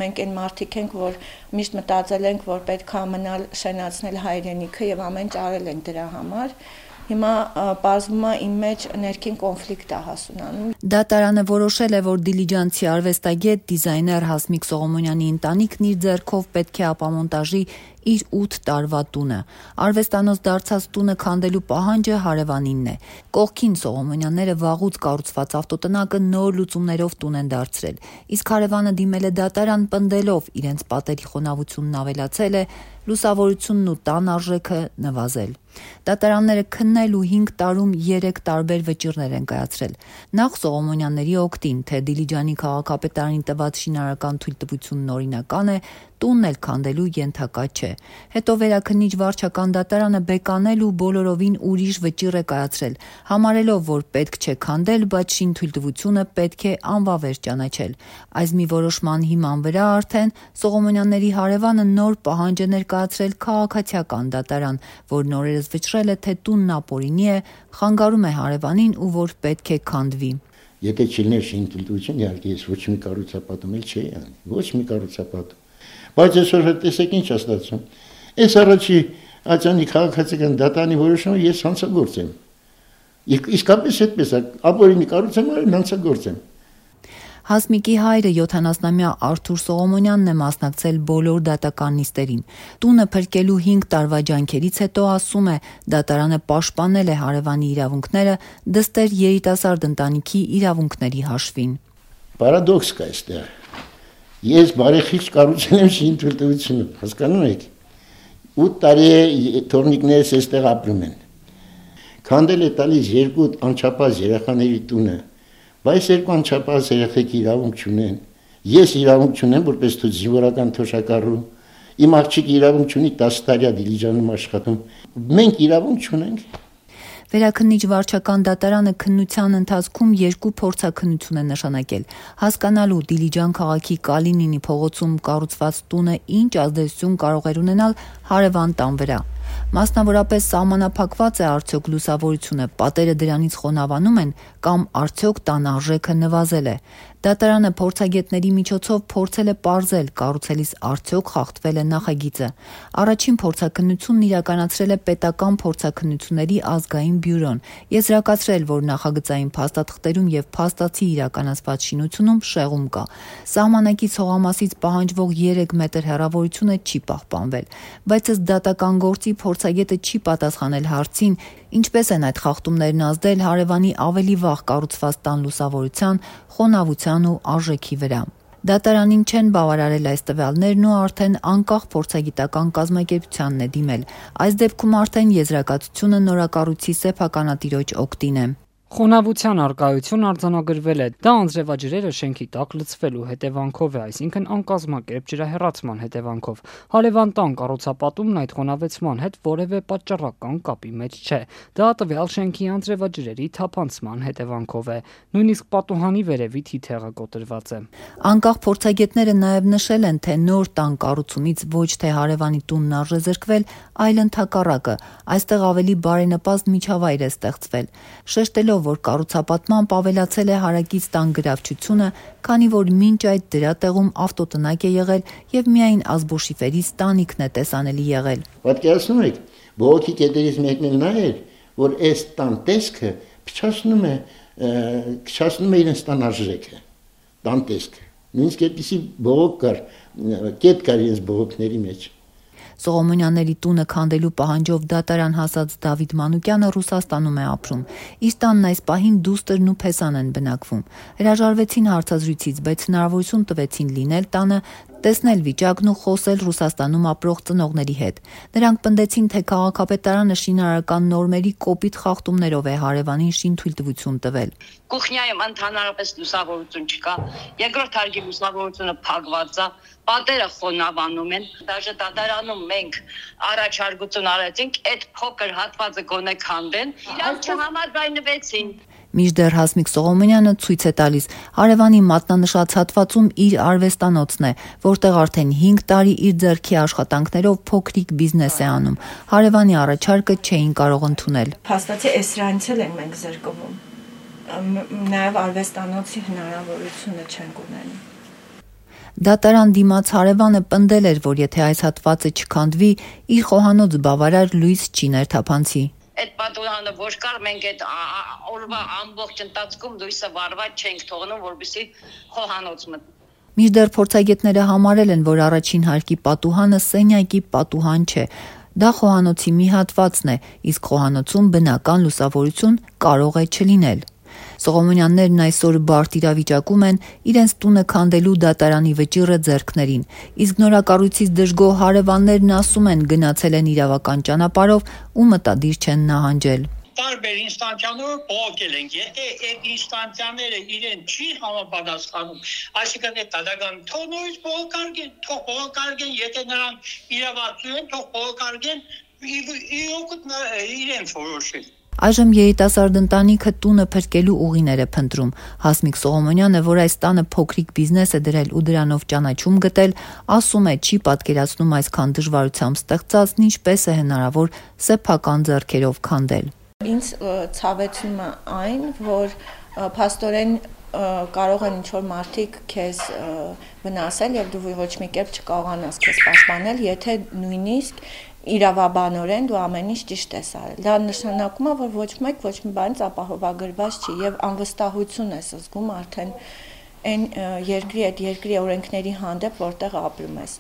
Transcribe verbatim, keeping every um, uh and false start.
մենք այն մարդիկ ենք, որ միշտ մտածել ենք, որ պետք է մնալ շենացնել հայրենիքը եւ ամեն ինչ արել ենք դրա համար։ Հիմա պարզվում է իմ մեջ ներքին կոնֆլիկտ է հասունանում։ Դատարանը որոշել է, որ դիլիջանցի արվեստագետ, դիզայներ Հասմիկ Սողոմոնյանի ընտանիքն իր ձեռքով պետք է ապամոնտաժի իր ութ տարվա տունը։ Արվեստանոց դարձած տունը քանդելու պահանջը հարևանինն է։ Կողքին Սողոմոնյանները վաղուց կառուցված ավտոտնակը նոր լուծումներով տուն են դարձրել, իսկ հարևանը դիմել է դատարան պնդելով իրենց պատերի խոնավությունն ավելացել է, լուսավորությունն ու տան արժեքը նվազել։ Դատարանները քննել ու հինգ տարում երեք տարբեր վճիռներ են կայացրել։ Նախ Սողոմոնյանների օգտին, թե Դիլիջանի քաղաքապետարանի տված շինարարական թույլտվությունն օրինական է, տունն էլ քանդելու ենթակա չէ։ Հետո վերաքննիչ վարչական դատարանը բեկանել ու բոլորովին ուրիշ վճիռ է կայացրել, համարելով, որ պետք չէ քանդել, բայց շինթույլտվությունը պետք է անվավեր ճանաչել։ Այս մի որոշման հիման վրա արդեն Սողոմոնյանների հարևանը նոր պահանջ է ներկայացրել քաղաքացիական դատարան, որ նորերս վճռել է, թե տունն ապօրինի է, խանգարում է հարևանին ու որ պետք է քանդվի։ Եթե չլիներ շինթույլտվություն, իհարկե ես ոչ մի կառուցապատում էլ չէի անի, ոչ մի կառուցապատում։ Բայց այսօր տեսեք ինչ է ստացվում։ Այս առաջի աջանի քաղաքացիական դատարանի որոշումը ես հանցագործ եմ։ Իսկապես այդպես է, ապօրինի կառուցեմ, այլ հանցագործ եմ։ Հասմիկի հայրը յոթանասնամյա Արթուր Սողոմոնյանն է մասնակցել բոլոր դատական նիստերին։ Տունը փրկելու հինգ տարվա ջանքերից հետո ասում է, դատարանը պաշտպանել է հարևանի իրավունքները, դստեր երիտասարդ ընտանիքի իրավունքների հաշվին։ Պարադոքս կա այստեղ։ Ես բարեխիղճ կառուցել եմ շինթույլտվությունը, հասկանում եք։ ութ տարի է թորնիկներս այստեղ ապրում են։ Քանդել է տալիս երկու անչափահաս երեխաների տունը, բայց երկու անչափահաս երեխեքի իրավունք չունեն։ Ես իրավունք չունեմ, որպես զինվորական թոշակառու, իմ աղջիկը իրավունք չունի տասը տարի Դիլիջանում աշխատում։ Մենք իրավունք չունենք։ Վերաքննիչ վարչական դատարանը քննության ընթացքում երկու փորձաքննություն է նշանակել, հասկանալու Դիլիջան քաղաքի Կալինինի փողոցում կառուցված տունը ինչ ազդեցություն կարող էր ունենալ հարևան տան վրա։ Մասնավորապես սահմանափակված է արդյոք լուսավորությունը, պատերը դրանից խոնավանում են կամ արդյոք տան արժեքը նվազել է։ Դատարանը փորձագետների միջոցով փորձել է պարզել կառուցելիս արդյոք խախտվել է նախագիծը։ Առաջին փորձաքննությունն իրականացրել է պետական փորձաքննությունների ազգային բյուրոն, եզրակացրել, որ նախագծային փաստաթղթերում եւ փաստացի իրականացված շինությունում շեղում կա։ Սահմանակից հողամասից պահանջվող երեք մետր հեռավորությունը չի պահպանվել, բայց ըստ դատական գործի փորձագետը չի պատասխանել հարցին, ինչպես են այդ խախտումներն ազդել հարևանի ավելի վաղ կառուցված տան լուսավորության, խոնավության ու արժեքի վրա։ Դատարանին չեն բավարարել այս տվյալներն ու արդեն անկախ փորձագիտական կազմակերպությանն է դիմել։ Այս դեպքում արդեն եզրակացությունը նորակառույցի սեփականատիրոջ օգտին է։ Խոնավության արկայություն արձանագրվել է, դա անձրևաջրերը շենքի տակ լցվելու հետևանքով է, այսինքն անկազմակերպ ջրահեռացման հետևանքով։ Հարևան տան կառուցապատումն այդ խոնավեցման հետ որևէ պատճառական կապի մեջ չէ։ Դա տվյալ շենքի անձրևաջրերի թափանցման հետևանքով է, նույնիսկ պատուհանի վերևի թիթեղը կոտրված է։ Անկախ փորձագետները նաև նշել են, թե նոր տան կառուցումից ոչ թե հարևանի տունն արժե զրկվել, այլ ընդհակառակը, այստեղ ավելի բարենպաստ միջավայր է ստեղծվել։ Շեշտելով, որ կառուցապատմամբ ավելացել է հարակից տան գրավչությունը, քանի որ մինչ այդ դրա տեղում ավտոտնակ է եղել եւ միայն ազբոշիֆերից տանիքն է տեսանելի եղել։ Պատկերացնում եք, բողոքի կետերից մեկն էլ նա էր, որ այս տան տեսքը փչացնում է, փչացնում է իրենց տան արժեքը, տան տեսքը։ Նույնիսկ այդպիսի բողոք կար, կետ կար իրենց բողոքների մեջ։ Սողոմոնյանների տունը քանդելու պահանջով դատարան հասած Դավիթ Մանուկյանը Ռուսաստանում է ապրում։ Իր տանն այս պահին դուստրն ու փեսան են բնակվում։ Հրաժարվեցին հարցազրույցից, բայց հնարավորություն տվեցին լինել տանը, տեսնել վիճակն ու խոսել Ռուսաստանում ապրող ծնողների հետ։ Նրանք պնդեցին, թե քաղաքապետարանը շինարարական նորմերի կոպիտ խախտումներով է հարևանին շինթույլտվություն տվել։ Կուխնյայում ընդհանրապես լուսավորություն չկա, երկրորդ հարկի լուսավորությունը փակված է, պատերը խոնավանում են, դաժե դատարանում մենք առաջարկություն արեցինք, այդ փոքր հատվածը գոնե քանդեն, իրանք չհամաձայնվեցին։ Մինչդեռ Հասմիկ Սողոմոնյանը ցույց է տալիս հարևանի մատնանշած հատվածում իր արվեստանոցն է, որտեղ արդեն հինգ տարի իր ձեռքի աշխատանքներով փոքրիկ բիզնես է անում։ Հարևանի առաջարկը չէին կարող ընդունել։ Փաստացի այս սրանից էլ ենք մենք զրկվում։ Նաև արվեստանոցի հնարավորությունը չենք ունենում։ Դատարան դիմաց հարևանը պնդել էր, որ եթե այս հատվածը չքանդվի, իր խոհանոց բավարար լույս չի ներթափանցի։ Այդ պատուհանը ոչ կար, մենք այդ օրվա ամբողջ ընթացքում լույսը վառված չենք թողնում, որպեսզի խոհանոց մտնի։ Մինչդեռ փորձագետները համարել են, որ առաջին հարկի պատուհանը սենյակի պատուհան չէ։ Դա խոհանոցի մի հատվածն է, իսկ խոհանոցում բնական լուսավորություն կարող է չլինել։ Սողոմոնյաններն այսօր բարդ իրավիճակում են իրենց տունը քանդելու դատարանի վճիռը ձեռքներին, իսկ նորակառույցից դժգոհ հարևաններն ասում են գնացել են իրավական ճանապարհով ու մտադիր չեն նահանջել։ Տարբեր ինստանցիաներով բողոքել ենք, եթե այդ ինստանցիաները իրեն չի համապատասխանում, այսինքն այդ դատական թող նորից բողոքարկեն, թող բողոքարկեն, եթե նրանք իրավացու են, թող բողոքարկեն, իրոք իրենց որոշել։ Այժմ երիտասարդ ընտանիքը տունը փրկելու ուղիներ է փնտրում։ Հասմիկ Սողոմոնյանը, որ այս տանը փոքրիկ բիզնես է դրել ու դրանով ճանաչում գտել, ասում է չի պատկերացնում այսքան դժվարությամբ ստեղծածն ինչպես է հնարավոր սեփական ձեռքերով քանդել։ Ինձ ցավեցնում է այն, որ փաստորեն կարող են ինչ-որ մարդիկ քեզ վնասել եւ դու ոչ մի կերպ չկարողանաս քեզ պաշտպանել, եթե նույնիսկ իրավաբանորեն դու ամեն ինչ ճիշտ ես արել։ Դա նշանակում է, որ ոչ մեկ ոչ մի բանից ապահովագրված չի եւ անվստահություն ես զգում արդեն այն երկրի այդ երկրի օրենքների հանդեպ, որտեղ ապրում ես։